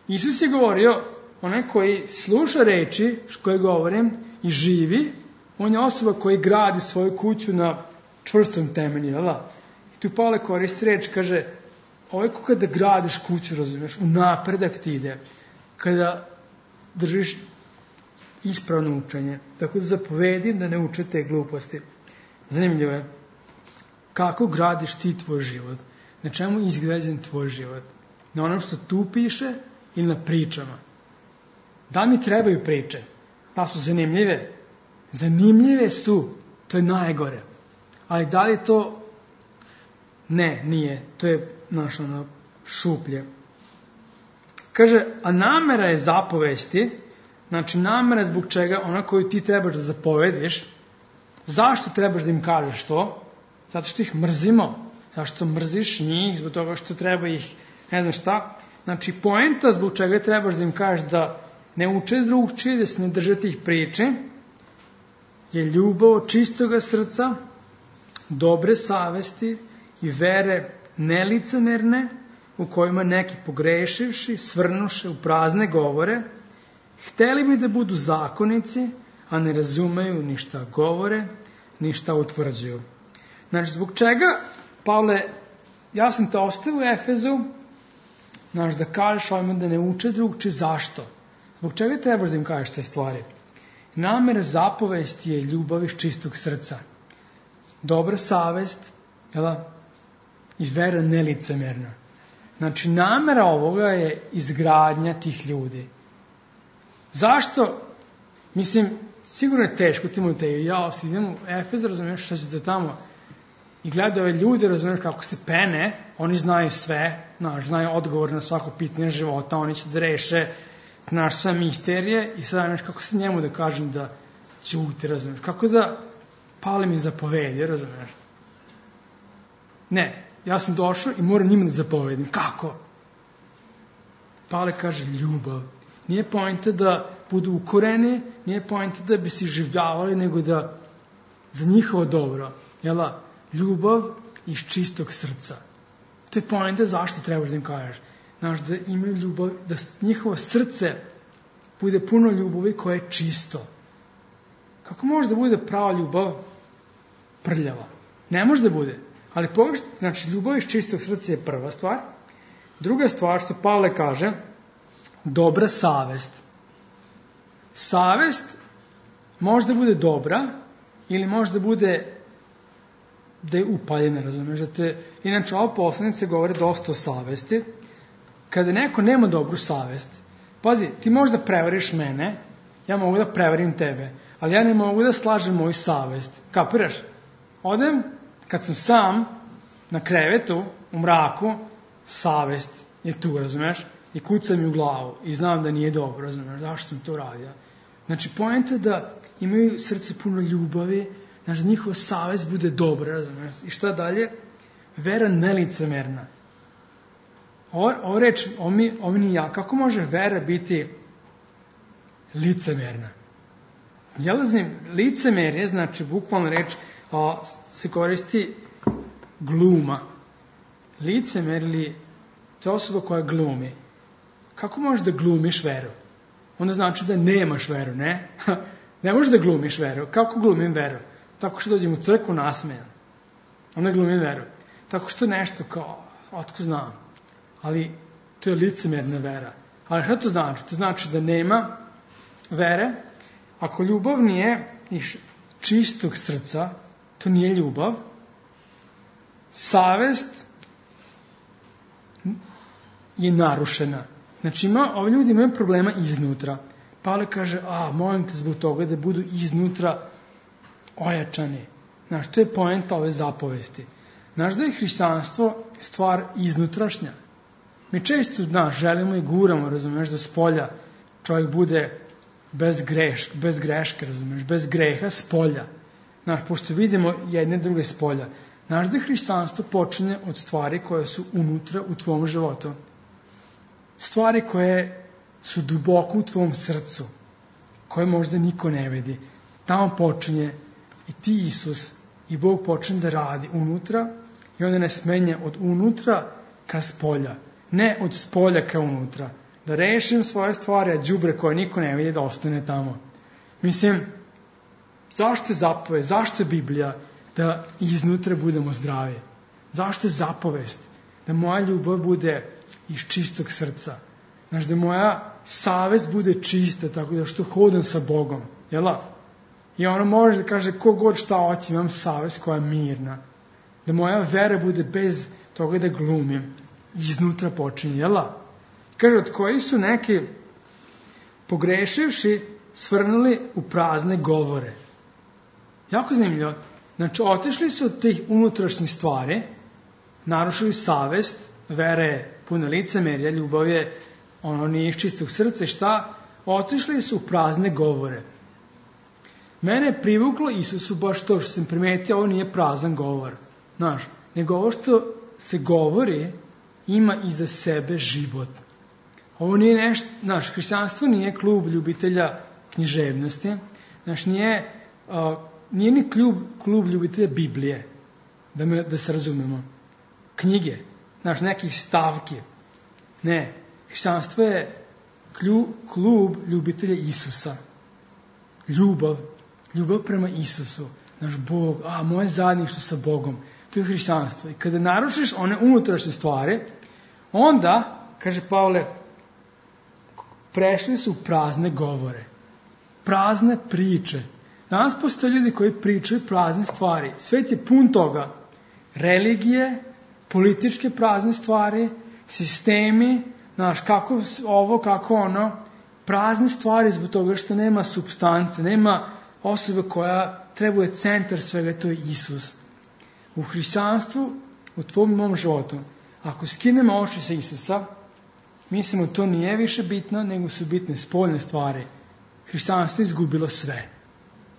Isus je govorio, onaj koji sluša reči koje govorim i živi, on je osoba koji gradi svoju kuću na čvrstom temelju, jel da? I tu Pavle koristi reč, kaže, ovo je kao kada gradiš kuću, razumiješ, u napredak ti ide, kada držiš ispravno učenje. Tako da zapovedim da ne uče te gluposti. Zanimljivo je, kako gradiš ti tvoj život? Na čemu je izgrađen tvoj život? Na onom što tu piše ili na pričama? Da mi trebaju priče? Pa su zanimljive. Zanimljive su, to je najgore. Ali da li to? Ne, nije. To je naš ono šuplje. Kaže, a namera je zapovesti, znači namera zbog čega ona koju ti trebaš da zapovediš, zašto trebaš da im kažeš to? Zato što ih mrzimo. Zašto mrziš njih, zbog toga što treba ih, ne znam šta. Znači, poenta zbog čega trebaš da im kažeš da ne uče drugčije, da se ne drže tih priče, je ljubav od čistoga srca, dobre savesti i vere nelicemerne, u kojima neki pogrešivši, svrnuše u prazne govore, hteli bi da budu zakonici, a ne razumeju ni šta govore, ni šta utvrđuju. Znači, zbog čega Pavle ja sam te ostavio u Efezu, znaš, da kažeš ovima da ne uče drugče, zašto? Zbog čega trebaš da im kažeš te stvari? Namera zapovesti je ljubav iz čistog srca. Dobra savest, jel? I vera nelicemerna. Znači, namera ovoga je izgradnja tih ljudi. Zašto? Mislim, sigurno je teško Timoteju. Ja si idem u Efez, razumiješ šta ćete tamo i gleda ove ljude, razumiješ kako se pene, oni znaju sve, znaš, znaju odgovor na svako pitanje života, oni će da reše, znaš, sve misterije i sada, znaš, kako se njemu da kažem da ćuti, razumiješ, kako da pali mi zapovedi, razumiješ. Ne, ja sam došao i moram njima da zapovedim. Kako? Pale kaže ljubav. Nije poenta da budu ukoreni, nije poenta da bi se življavali, nego da za njihovo dobro, jela, ljubav iz čistog srca. To je poenta zašto trebaš da im kažeš. Znaš, da imaju ljubav, da njihovo srce bude puno ljubavi koje je čisto. Kako može da bude prava ljubav prljava? Ne može da bude. Ali pogledaj, znači, ljubav iz čistog srca je prva stvar. Druga stvar, što Pavle kaže, dobra savest. Savest može da bude dobra ili može da bude da je upaljena, razumiješ, da te, inače ova poslanica govori dosta o savesti. Kada neko nema dobru savest, pazi, ti možeš da prevariš mene, ja mogu da prevarim tebe, ali ja ne mogu da slažem moju savest. Kapiraš? Odem, kad sam sam na krevetu, u mraku, savest je tu, razumiješ, i kuca mi u glavu i znam da nije dobro, razumiješ, zašto sam to radio. Znači, poenta je da imaju srce puno ljubavi, znači, da njihova savest bude dobra, razumiješ. I šta dalje? Vera nelicemerna. Ovo, ovo reč, ovo mi, ovo mi ja, kako može vera biti licemerna? Jelaznim, licemerje, znači, bukvalno reč, a, se koristi gluma. Licemer ili to je osoba koja glumi. Kako možeš da glumiš veru? Onda znači da nemaš veru, ne? Ne možeš da glumiš veru. Kako glumim veru? Tako što dođem u crkvu nasmejan. Onda glumim veru. Tako što nešto kao, otko znam. Ali to je licemerna vera. Ali šta to znači? To znači da nema vere. Ako ljubav nije iz čistog srca, to nije ljubav. Savest je narušena. Znači, ima, ovi ljudi imaju problema iznutra. Pavle kaže, a, molim te zbog toga da budu iznutra ojačani. Znaš, to je poenta ove zapovesti. Znaš da je hrišćanstvo stvar iznutrašnja. Mi često, znaš, želimo i guramo, razumeš, da s polja čovjek bude bez, greš, bez greške, razumeš, bez greha s polja. Znaš, pošto vidimo jedne druge s polja. Znaš da je hrišćanstvo počinje od stvari koje su unutra u tvom životu. Stvari koje su duboko u tvom srcu, koje možda niko ne vidi. Tamo počinje i ti Isus i Bog počne da radi unutra i onda nas menja od unutra ka spolja. Ne od spolja ka unutra. Da rešim svoje stvari, a đubre koje niko ne vidi da ostane tamo. Mislim, zašto je zapove, zašto je Biblija da iznutra budemo zdravi? Zašto je zapovest? Da moja ljubav bude iz čistog srca. Znaš, da moja savest bude čista, tako da što hodam sa Bogom. Jela? I ono može da kaže, ko god šta hoće, imam savest koja je mirna. Da moja vera bude bez toga da glumim. Iznutra počinje. Jela? Kaže, od koji su neki pogrešivši svrnuli u prazne govore. Jako zanimljivo. Znači, otišli su od tih unutrašnjih stvari, narušili savest, vera je puno licemerja, ljubav je ono nije iz čistog srca, šta? Otišli su u prazne govore. Mene je privuklo Isusu baš to što sam primetio, ovo nije prazan govor. Znaš, nego ovo što se govori ima iza sebe život. Ovo nije nešto, znaš, hrišćanstvo nije klub ljubitelja književnosti, znaš, nije, uh, nije ni klub, klub ljubitelja Biblije, da, me, da se razumemo. Knjige, znaš, nekih stavki. Ne, hrišćanstvo je klub, klub ljubitelja Isusa. Ljubav, ljubav prema Isusu. Naš Bog, a moje zajedništvo sa Bogom. To je hrišćanstvo. I kada naručiš one unutrašnje stvari, onda, kaže Pavle, prešli su prazne govore, prazne priče. Danas postoje ljudi koji pričaju prazne stvari. Svet je pun toga. Religije, političke prazne stvari, sistemi, znaš, kako ovo, kako ono, prazne stvari zbog toga što nema supstance, nema osobe koja trebuje centar svega, to je Isus. U hrišćanstvu, u tvom i mom životu, ako skinemo oči sa Isusa, mislimo to nije više bitno, nego su bitne spoljne stvari. Hrišćanstvo je izgubilo sve.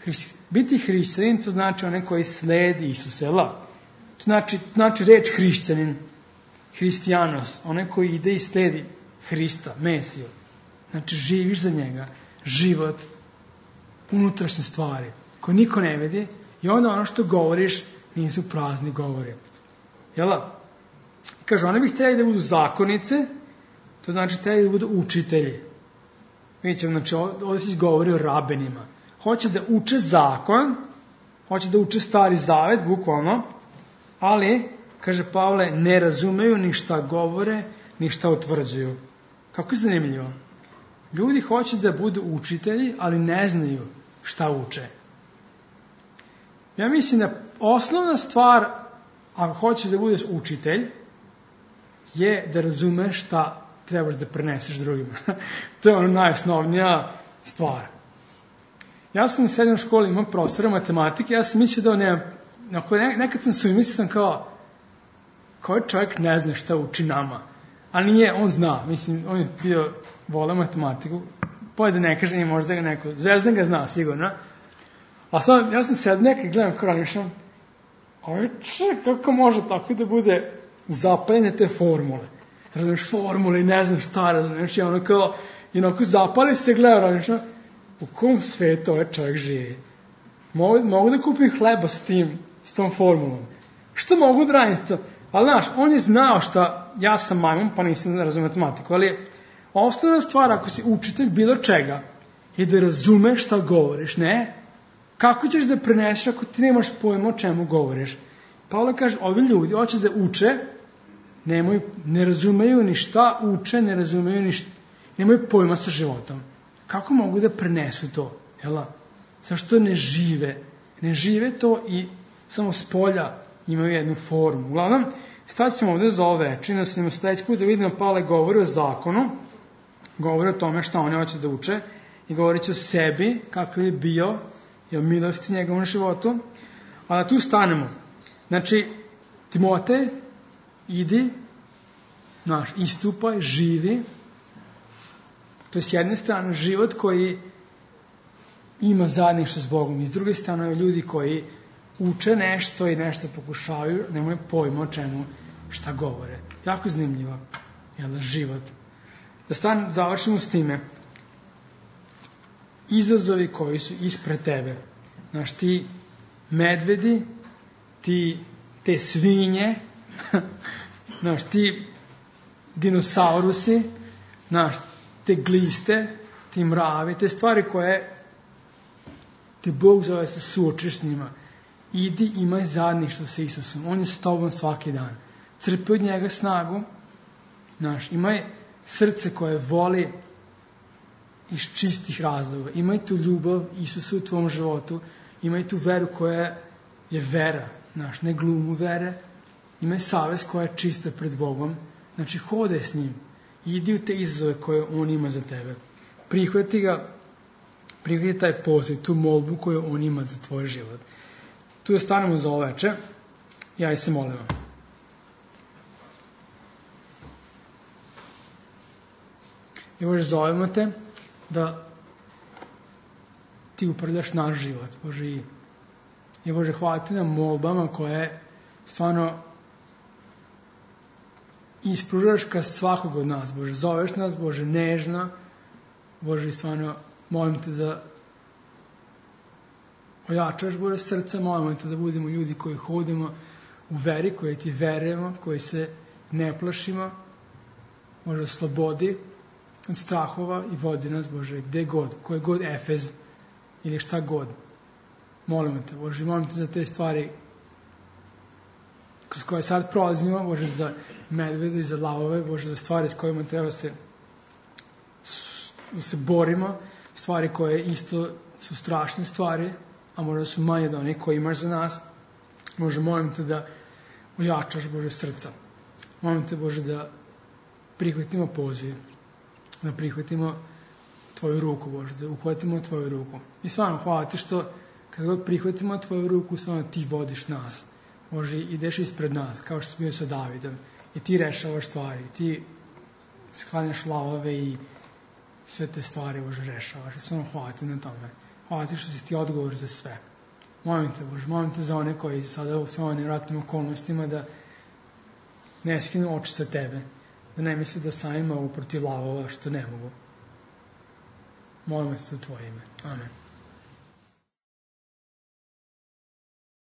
Hriš... Biti hrišćanin, to znači onaj koji sledi Isusa, jel? To znači, znači reč hrišćanin, hristijanos, onaj koji ide i sledi Hrista, Mesiju. Znači živiš za njega, život, unutrašnje stvari, koje niko ne vidi, i onda ono što govoriš nisu prazni govori. Jel? Kaže, oni bi htjeli da budu zakonice, to znači htjeli da budu učitelji. Vidite, znači ovdje se govori o rabenima. Hoće da uče zakon, hoće da uče stari zavet, bukvalno, ali, kaže Pavle, ne razumeju ni šta govore, ni šta utvrđuju. Kako je zanimljivo. Ljudi hoće da budu učitelji, ali ne znaju šta uče. Ja mislim da osnovna stvar, ako hoćeš da budeš učitelj, je da razumeš šta trebaš da preneseš drugima. To je ono najosnovnija stvar. Ja sam u srednjoj školi imao profesora matematike, ja sam mislio da on nema, nekad sam su mislio sam kao, koji čovjek ne zna šta uči nama, ali nije, on zna, mislim, on je bio voleo matematiku, pojde ne kaže, nije možda ga neko, Zvezdan ga zna sigurno, a sad, ja sam sed nekaj gledam kao razmišljam, ovaj čovjek, kako može tako da bude zapaljene te formule, razumiješ, formule i ne znam šta, razumiješ, i ono kao, i onako zapali se gleda, razumiješ, u kom svetu ovaj čovjek živi? Mogu, mogu da kupim hleba s tim, s tom formulom. Što mogu da radim to? Ali znaš, on je znao šta, ja sam majmun, pa nisam razumio matematiku, ali osnovna stvar, ako si učitelj bilo čega, je da razumeš šta govoriš, ne? Kako ćeš da preneseš ako ti nemaš pojma o čemu govoriš? Pavle kaže, ovi ljudi hoće da uče, nemaju, ne razumeju ni šta uče, ne razumeju ni šta, nemaju pojma sa životom. Kako mogu da prenesu to? Jela? Zašto ne žive? Ne žive to i samo s polja imaju jednu formu. Uglavnom, stavit ćemo ovdje za ove veče, da se sledeći put da vidimo Pavle govori o zakonu, govori o tome šta oni hoće da uče i govorit će o sebi, kakav je bio i o milosti njegovom životu. A da tu stanemo. Znači, Timotej, idi, naš, istupaj, živi. To je s jedne strane život koji ima zajedništvo s Bogom i s druge strane ljudi koji uče nešto i nešto pokušavaju, nemaju pojma o čemu šta govore. Jako zanimljivo. Jel, život. Da stan, završimo s time. Izazovi koji su ispred tebe. Znaš, ti medvedi, ti te svinje, znaš, ti dinosaurusi, znaš, te gliste, ti mravi, te stvari koje te Bog zove se suočiš s njima. Idi, imaj zajedništvo sa Isusom. On je s tobom svaki dan. Crpi od njega snagu. Znaš, imaj srce koje voli iz čistih razloga. Imaj tu ljubav Isusa u tvom životu. Imaj tu veru koja je vera. Znaš, ne glumu vere. Imaj savest koja je čista pred Bogom. Znači, hodaj s njim. Idi u te izazove koje on ima za tebe. Prihvati ga, prihvati taj poziv, tu molbu koju on ima za tvoj život. Tu ostanemo za oveče. Ja i se molim vam. I Bože, zovemo te da ti upravljaš naš život, Bože, i, i Bože, hvala ti na molbama koje stvarno ispružaš ka svakog od nas, Bože, zoveš nas, Bože, nežno, Bože, i stvarno molim te da ojačaš, Bože, srca, molimo te da budemo ljudi koji hodimo u veri, koji ti verujemo, koji se ne plašimo, Bože, slobodi od strahova i vodi nas, Bože, gde god, koji god Efez ili šta god. Molimo te, Bože, molim te za te stvari kroz koje sad prolazimo, Bože, za medvede i za lavove, Bože, za stvari s kojima treba se, da se borimo, stvari koje isto su strašne stvari, a možda su manje od onih koje imaš za nas. Bože, molim te da ojačaš, Bože, srca. Molim te, Bože, da prihvatimo poziv, da prihvatimo Tvoju ruku, Bože, da uhvatimo Tvoju ruku. I stvarno, hvala ti što kad god prihvatimo Tvoju ruku, stvarno ti vodiš nas. Bože, ideš ispred nas, kao što si bio sa Davidom. I ti rešavaš stvari, ti sklanjaš lavove i sve te stvari, Bože, rešavaš. I stvarno, hvala ti na tome. Hvala ti što si ti odgovor za sve. Molim te, Bože, molim te za one koji sada u svojim nevratnim okolnostima da ne skinu oči sa tebe, da ne misle da sami mogu protiv lavova što ne mogu. Molim te u Tvoje ime. Amen.